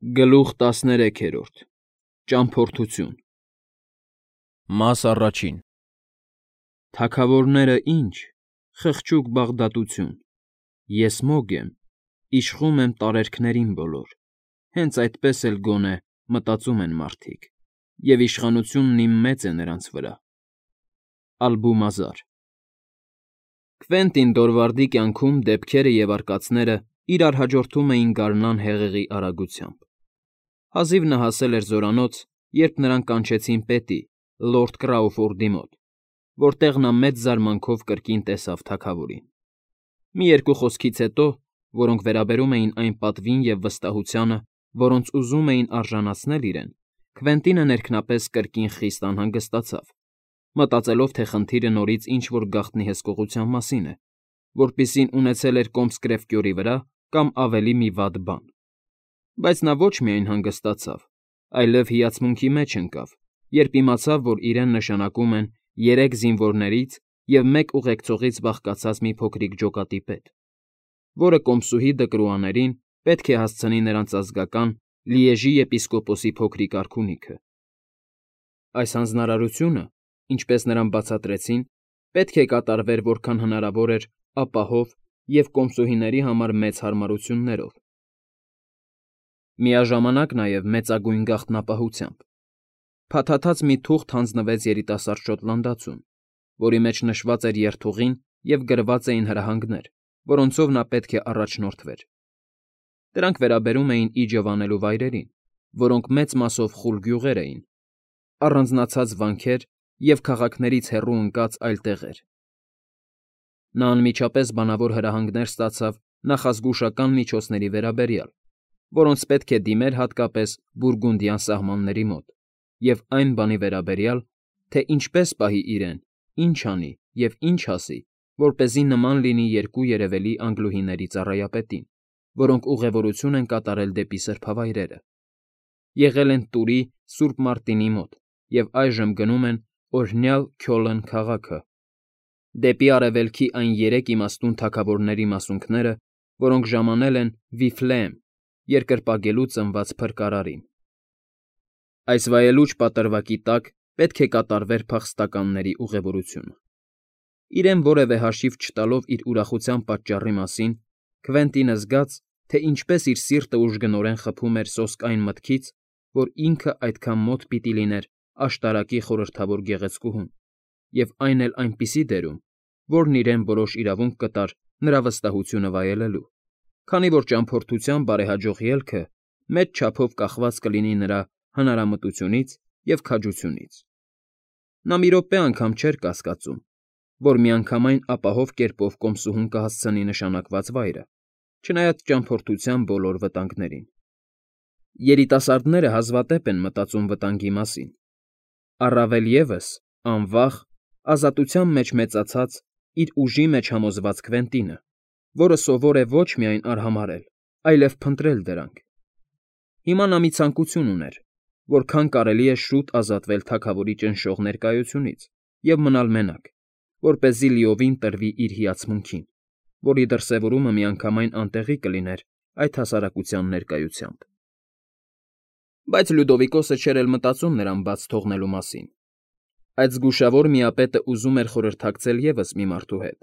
Գլուխ 13 Ճամփորդություն Մաս առաջին Թագավորները ինչ, խղճուկ Բաղդադություն, ես մոգ եմ, իշխում եմ տարերքներին բոլոր, հենց այդպես էլ գոնե մտածում են մարդիկ, և իշխանությունն իմ մեծ է նրանց վրա։ Ալբումազար Քվենտին Դորվարդի կյանքում դեպքերը և արկածները իրար հաջորդում էին գարնան հեղեղի արագությամբ։ Հազիվ նա հասել էր զորանոց, երբ նրան կանչեցին պետի, լորդ Կրաուֆորդի մոտ, որտեղ նա մեծ զարմանքով կրկին տեսավ թագավորին։ Մի երկու խոսքից հետո, որոնք վերաբերում էին այն պատվին և վստահությանը, որոնց ուզում էին արժանացնել իրեն, Քվենտինը ներքնապես կրկին խիստ անհանգստացավ, մտածելով, թե խնդիրը նորից ինչ֊որ գաղտնի հսկողության մասին է, որպիսին ունեցել էր Կոմսկրեֆկյորի վրա կամ ավելի մի վատ բան։ Բայց նա ոչ միայն հանգստացավ, այլև հիացմունքի մեջ ընկավ, երբ իմացավ, որ իրեն նշանակում են 3 զինվորներից և 1 ուղեկցողից բաղկացած մի փոքրիկ ջոկատի պետ, որը կոմսուհի Դկրուաներին պետք է հասցնի նրանց ազգական Լիեժի եպիսկոպոսի փոքրիկ արքունիքը։ Այս հանձնարարությունը, ինչպես նրան բացատրեցին, պետք է կատարվեր որքան հնարավոր էր ապահով և կոմսուհիների համար մեծ հարմարություններով, միաժամանակ նաև մեծագույն գաղտնապահությամբ։ Փաթաթած մի թուղթ հանձնվեց երիտասարդ շոտլանդացուն, որի մեջ նշված էր երթուղին և գրված էին հրահանգներ, որոնցով նա պետք է առաջնորդվեր։ Դրանք վերաբերում էին իջև անելու վայրերին, որոնք մեծ մասով խուլ գյուղեր էին, առանձնացած վանքեր և քաղաքներից հեռու ընկած այլ տեղեր։ Նա անմիջապես բանավոր հրահանգներ ստացավ նախազգուշական միջոցների վերաբերյալ, որոնց պետք է դիմեր հատկապես Բուրգունդյան սահմանների մոտ, և այն բանի վերաբերյալ, թե ինչպես պահի իրեն, ինչ անի և ինչ ասի, որպեսզի նման լինի 2 երևելի անգլուհիների ծառայապետին, որոնք ուղևորություն են կատարել դեպի սրբավայրերը, եղել են Տուրի Սուրբ Մարտինի մոտ և այժմ գնում են օրհնյալ Քյոլն քաղաքը, դեպի արևելքի այն 3 իմաստուն թագավորների մասունքները, որոնք ժամանել են Վիֆլեեմ, երկրպագելու ծնված փրկարարին։ Այս վայելուչ պատրվակի տակ պետք է կատարվեր փախստականների ուղևորությունը։ Իրեն որևէ հաշիվ չտալով իր ուրախության պատճառի մասին, Քվենտինը զգաց, թե ինչպես իր սիրտը ուժգնորեն խփում էր սոսկ այն մտքից, որ ինքը այդքան մոտ պիտի լիներ աշտարակի խորհրդավոր գեղեցկուհուն, և այն էլ այնպիսի դերում, որն իրեն որոշ իրավունք կտար նրա վստահությունը վայելելու, քանի որ ճամփորդության բարեհաջող ելքը մեծ չափով կախված կլինի նրա հնարամտությունից և քաջությունից։ Նա մի րոպե անգամ չէր կասկածում, որ միանգամայն ապահով կերպով կոմսուհուն կհասցնի նշանակված վայրը, չնայած ճամփորդության բոլոր վտանգներին։ Երիտասարդները հազվադեպ են մտածում վտանգի մասին, առավել ևս, անվախ, ազատության մեջ մեծացած, իր ուժի մեջ համոզված Քվենտինը, որը սովոր է ոչ միայն արհամարհել, այլև փնտրել դրանք։ Հիմա նա մի ցանկություն ուներ, որքան կարելի է շուտ ազատվել թագավորի ճնշող ներկայությունից և մնալ մենակ, որպեսզի լիովին տրվի իր հիացմունքին, որի դրսևորումը միանգամայն անտեղի կլիներ այդ հասարակության ներկայությամբ։ Բայց Լյուդովիկոսը չէր էլ մտածում նրան բաց թողնելու մասին։ Այդ զգուշավոր միապետը ուզում էր խորհրդակցել ևս մի մարդու հետ,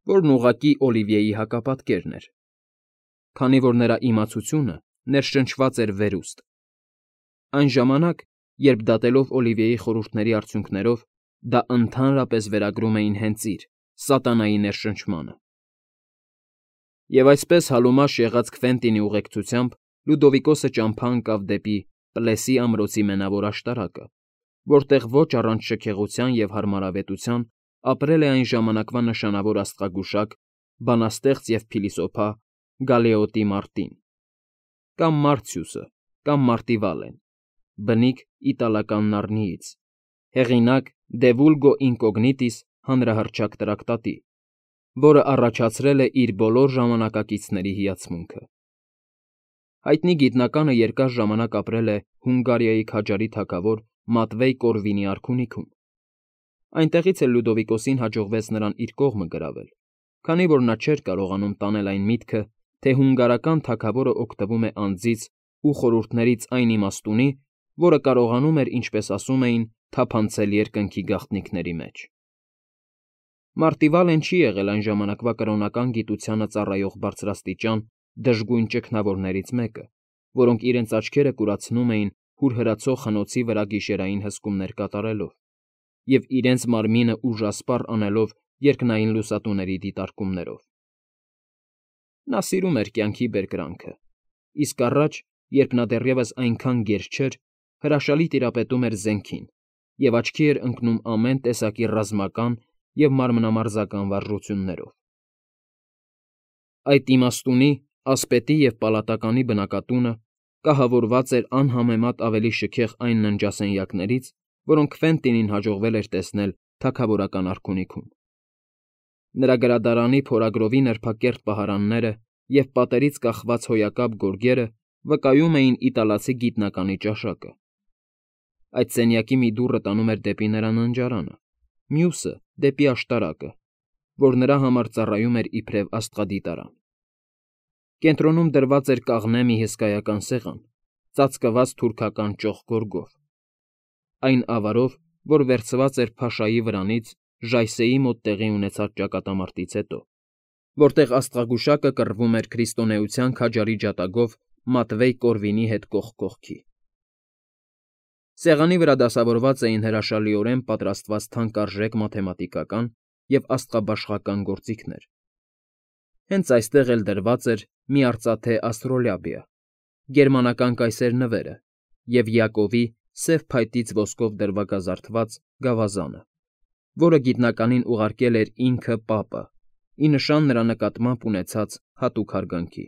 որն ուղղակի Օլիվիեի հակապատկերն էր, քանի որ նրա իմացությունը ներշնչված էր վերուստ։ Այն ժամանակ, երբ դատելով Օլիվիեի խորհուրդների արդյունքներով, դա ընդհանրապես վերագրում էին հենց իր՝ սատանայի ներշնչմանը։ Եվ այսպես հալումաշ եղած Քվենտինի ուղեկցությամբ Լյուդովիկոսը ճամփա ընկավ դեպի Պլեսի ամրոցի մենավոր աշտարակը, որտեղ ոչ առանց շքեղության և հարմարավետության ապրել է այն ժամանակվա նշանավոր աստղագուշակ, բանաստեղծ և փիլիսոփա Գալեոտի Մարտին, կամ Մարցիուսը, կամ Մարտիվալեն, բնիկ իտալական Նառնիից, հեղինակ «De vulgo incognitis» հանրահռչակ տրակտատի, որը առաջացրել է իր բոլոր ժամանակակիցների հիացմունքը։ Հայտնի գիտնականը երկար ժամանակ ապրել է Հունգարիայի քաջարի թագավոր Մատվեյ Կորվինի արքունիքում։ Այնտեղից էլ Լյուդովիկոսին հաջողվեց նրան իր կողմը գրավել, քանի որ նա չէր կարողանում տանել այն միտքը, թե հունգարական թագավորը օգտվում է անձից ու խորհուրդներից այն իմաստունի, որը կարողանում էր, ինչպես ասում էին, թափանցել երկնքի գաղտնիքների մեջ։ Մարտիվալեն չի եղել այն ժամանակվա կրոնական գիտությանը ծառայող բարձրաստիճան դժգույն ճգնավորներից մեկը, որոնք իրենց աչքերը կուրացնում էին հուրհրացող խնոցի վրա գիշերային հսկումներ կատարելով և իրենց մարմինը ուժասպառ անելով երկնային լուսատուների դիտարկումներով։ Նա սիրում էր կյանքի բերկրանքը, իսկ առաջ, երբ նա դեռևս այնքան գեր չէր, հրաշալի տիրապետում էր զենքին և աչքի էր ընկնում ամեն տեսակի ռազմական և մարմնամարզական վարժություններով։ Այդ իմաստունի, ասպետի և պալատականի բնակատունը կահավորված էր անհամեմատ ավելի շքեղ այն ննջասենյակներից, որոնք Քվենտինին հաջողվել էր տեսնել թագավորական արքունիքում։ Նրա գրադարանի փորագրովի նրբակերտ պահարանները և պատերից կախված հոյակապ գորգերը վկայում էին իտալացի գիտնականի ճաշակը։ Այդ սենյակի մի դուռը տանում էր դեպի նրա ննջարանը, մյուսը՝ դեպի աշտարակը, որ նրա համար ծառայում էր իբրև աստղադիտարան։ Կենտրոնում դրված էր կաղնե մի հսկայական սեղան, ծածկված թուրքական ճոխ գորգով, այն ավարով, որ վերցված էր փաշայի վրանից Ժայսեի մոտ տեղի ունեցած ճակատամարտից հետո, որտեղ աստղագուշակը կռվում էր քրիստոնեության քաջարի ջատագով Մատվեյ Կորվինի հետ կողք կողքի։ Սեղանի վրա դասավորված էին հրաշալիորեն պատրաստված թանկարժեք մաթեմատիկական և աստղաբաշխական գործիքներ։ Հենց այստեղ էլ դրված էր մի արծաթե աստրոլաբիա, գերմանական կայսեր նվերը և Յակովի սև փայտից ոսկով դրվագազարդված գավազանը, որը գիտնականին ուղարկել էր ինքը պապը, ի նշան նրա նկատմամբ ունեցած հատուկ հարգանքի։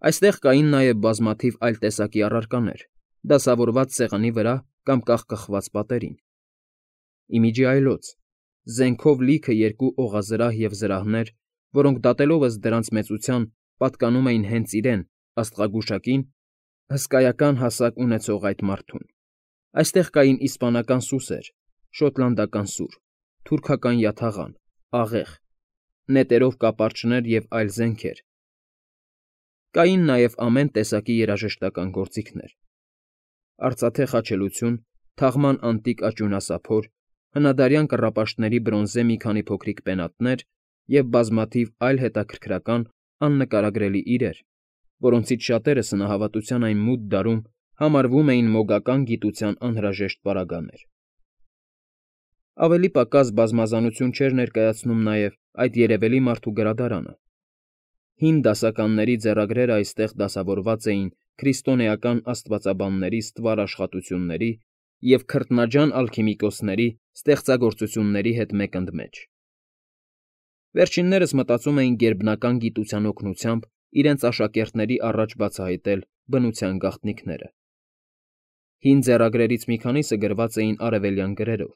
Այստեղ կային նաև բազմաթիվ այլ տեսակի առարկաներ, դասավորված սեղանի վրա կամ կախկխված պատերին։ Ի միջի այլոց, զենքով լիքը երկու օղազրահ և զրահներ, որոնք դատելով ըստ դրանց մեծության պատկանում էին հենց իրեն՝ աստղագուշակին, հսկայական հասակ ունեցող այդ մարդուն։ Այստեղ կային իսպանական սուսեր, շոտլանդական սուր, թուրքական յաթաղան, աղեղ, նետերով կապարչներ և այլ զենքեր։ Կային նաև ամեն տեսակի երաժշտական գործիքներ. արծաթե խաչելություն, թաղման անտիկ աճյունասափոր, հնադարյան կռապաշտների բրոնզե մի քանի փոքրիկ պենատներ և բազմաթիվ այլ հետաքրքրական աննկարագրելի իրեր, որոնցից շատերը սնահավատության այն մութ դարում համարվում էին մոգական գիտության անհրաժեշտ պարագաներ։ Ավելի պակաս բազմազանություն չէր ներկայացնում նաև այդ երևելի մարդու գրադարանը։ Հին դասականների ձեռագրերը այստեղ դասավորված էին քրիստոնեական աստվածաբանների ստվար աշխատությունների և քրտնաջան ալքիմիկոսների ստեղծագործությունների հետ մեկընդմեջ։ Վերջիններս մտածում էին գերբնական գիտության օգնությամբ իրենց աշակերտների առաջ բացահայտել բնության գաղտնիքները։ Հին ձեռագրերից մի քանիսը գրված էին արևելյան գրերով,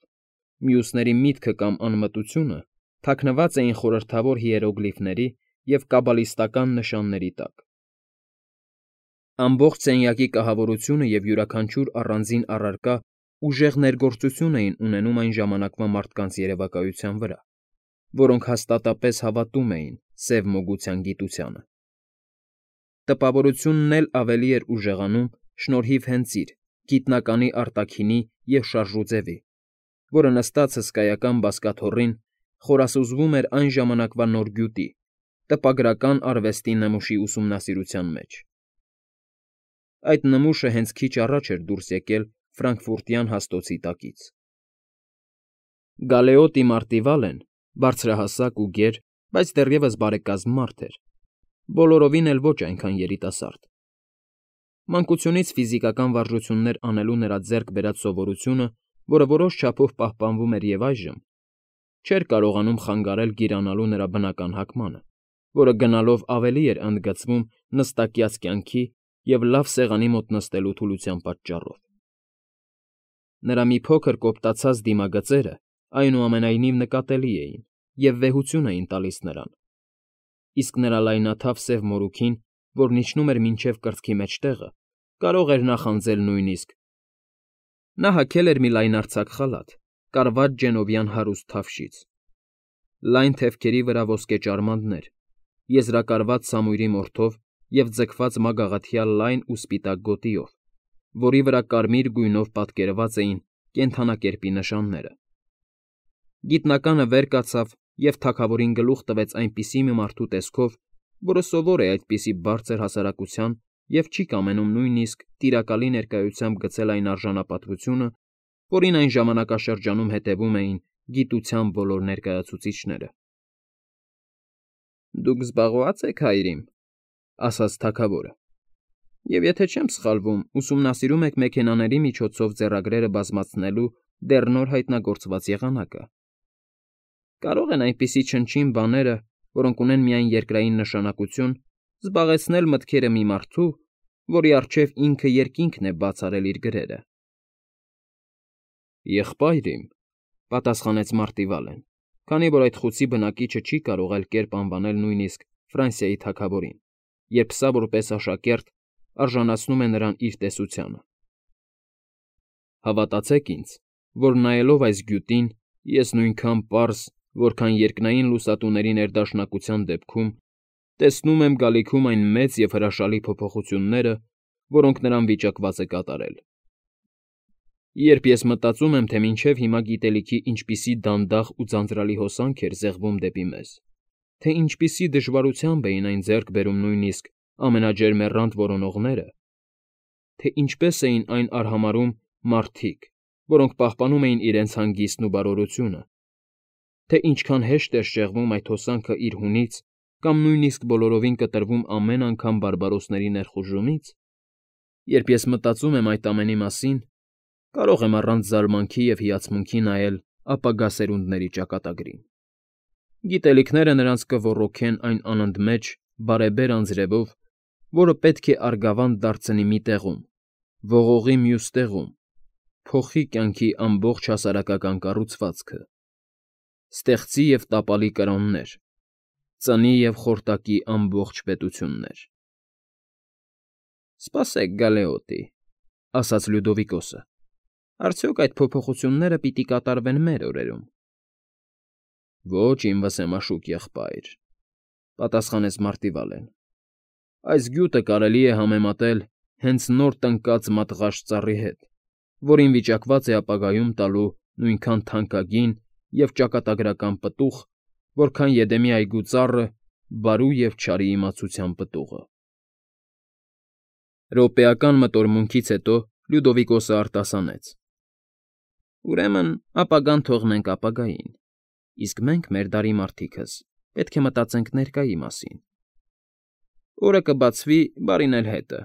մյուսների միտքը կամ անմտությունը թաքնված էին խորհրդավոր հիերոգլիֆների և կաբալիստական նշանների տակ։ Ամբողջ սենյակի կահավորությունը և յուրաքանչյուր առանձին առարկա ուժեղ ներգործություն էին ունենում այն ժամանակվա մարդկանց երևակայության վրա, որոնք հաստատապես հավատում էին սև մոգության գիտությանը։ Տպավորությունն էլ ավելի էր ուժեղանում շնորհիվ հենց իր՝ գիտնականի արտաքինի և շարժուձևի, որը նստած հսկայական բազկաթոռին խորասուզվում էր այն ժամանակվա նոր գյուտի՝ տպագրական արվեստի նմուշի ուսումնասիրության մեջ։ Այդ նմուշը հենց քիչ առաջ էր դուրս եկել ֆրանկֆուրտյան հաստոցի տակից։ Գալեոտի Մարտիվալեն բարձրահասակ ու գեր, բայց դեռևս բարեկազմ մարդ էր, բոլորովին էլ ոչ այնքան երիտասարդ։ Մանկությունից ֆիզիկական վարժություններ անելու նրա ձեռք բերած սովորությունը, որը որոշ չափով պահպանվում էր և այժմ, չէր կարողանում խանգարել գիրանալու նրա բնական հագմանը, որը գնալով ավելի էր ընդգծվում նստակյաց կյանքի և լավ սեղանի մոտ նստելու թուլության պատճառով։ Նրա մի փոքր կոպտացած դիմագծերը, այնուամենայնիվ, նկատելի էին և վեհություն էին տալիս նրան, իսկ նրա լայնաթավ սև մորուքին, որն իջնում էր մինչև կրծքի մեջտեղը, կարող էր նախանձել նույնիսկ… Նա հագել էր մի լայնարձակ խալաթ, կարված գենովյան հարուստ թավշից, լայն թևքերի վրա ոսկե ճարմաններ, եզրակարված սամույրի մորթով և ձգված մագաղաթյալ լայն ու սպիտակ գոտիով, որի վրա կարմիր գույնով պատկերված էին կենդանակերպի նշանները։ Գիտնականը վեր կացավ և թագավորին գլուխ տվեց այնպիսի մի մարդու տեսքով, որը սովոր է այդպիսի բարձր հասարակության և չի կամենում նույնիսկ տիրակալի ներկայությամբ գցել այն արժանապատվությունը, որին այն ժամանակաշրջանում հետևում էին գիտության բոլոր ներկայացուցիչները։ ֊ Դուք զբաղվա՞ծ եք, հայրիկ,֊ ասաց թագավորը,֊ և եթե չեմ սխալվում, ուսումնասիրում եք մեքենաների միջոցով ձեռագրերը բազմացնելու դեռ նոր հայտնագործված եղանակը։ Կարո՞ղ են այնպիսի չնչին բաները, որոնք ունեն միայն երկրային նշանակություն, զբաղեցնել մտքերը մի մարդու, որի առջև ինքը երկինքն է բաց արել իր գրերը։ ֊ Եղբայր իմ,֊ պատասխանեց Մարտիվալեն, քանի որ այդ խուցի բնակիչը չի կարող այլ կերպ անվանել նույնիսկ Ֆրանսիայի թագավորին, երբ սա որպես աշակերտ արժանացնում է նրան իր տեսությանը։ Հավատացեք ինձ, որ նայելով այս գյուտին, ես նույնքան պարզ, որքան երկնային լուսատուների ներդաշնակության դեպքում, տեսնում եմ գալիքում այն մեծ և հրաշալի փոփոխությունները, որոնք նրան վիճակված է կատարել։ Երբ ես մտածում եմ, թե մինչև հիմա գիտելիքի ինչպիսի դանդաղ ու ձանձրալի հոսանք էր զեղվում դեպի մեզ, թե ինչպիսի դժվարությամբ էին այն ձեռք բերում նույնիսկ ամենաջերմեռանդ որոնողները, թե ինչպես էին այն արհամարհում մարդիկ, որոնք պահպանում էին իրենց հանգիստն ու բարօրությունը, թե ինչքան հեշտ էր շեղվում այդ հոսանքը իր հունից կամ նույնիսկ բոլորովին կտրվում ամեն անգամ բարբարոսների ներխուժումից, երբ ես մտածում եմ այդ ամենի մասին, կարող եմ առանց զարմանքի և հիացմունքի նայել ապագա սերունդների ճակատագրին։ Գիտելիքները նրանց կոռոգեն այն անընդմեջ, բարեբեր անձրևով, որը պետք է արգավանդ դարձնի մի տեղում, ողողի մյուս տեղում, փոխի կյանքի ամբողջ հասարակական կառուցվածքը, ստեղծի և տապալի կրոններ, ծնի և խորտակի ամբողջ պետություններ։ ֊ Սպասեք, Գալեոտի,֊ ասաց Լյուդովիկոսը,֊ արդյոք այդ փոփոխությունները պիտի կատարվեն մեր օրերում։ ֊ Ոչ, իմ վսեմաշուկ եղբայր,֊ պատասխանեց Մարտիվալեն,֊ այս գյուտը կարելի է համեմատել հենց նոր տնկած մատղաշ ծառի հետ, որին վիճակված է ապագայում տալու նույնքան թանկագին և ճակատագրական պտուղ, որքան Եդեմի այգու ծառը բարու և չարի իմացության պտուղը։ Րոպեական մտորմունքից հետո Լյուդովիկոսը արտասանեց. ֊ Ուրեմն ապագան թողնենք ապագային, իսկ մենք, մեր դարի մարդիկս, պետք է մտածենք ներկայի մասին։ Օրը կբացվի, բարին էլ հետը։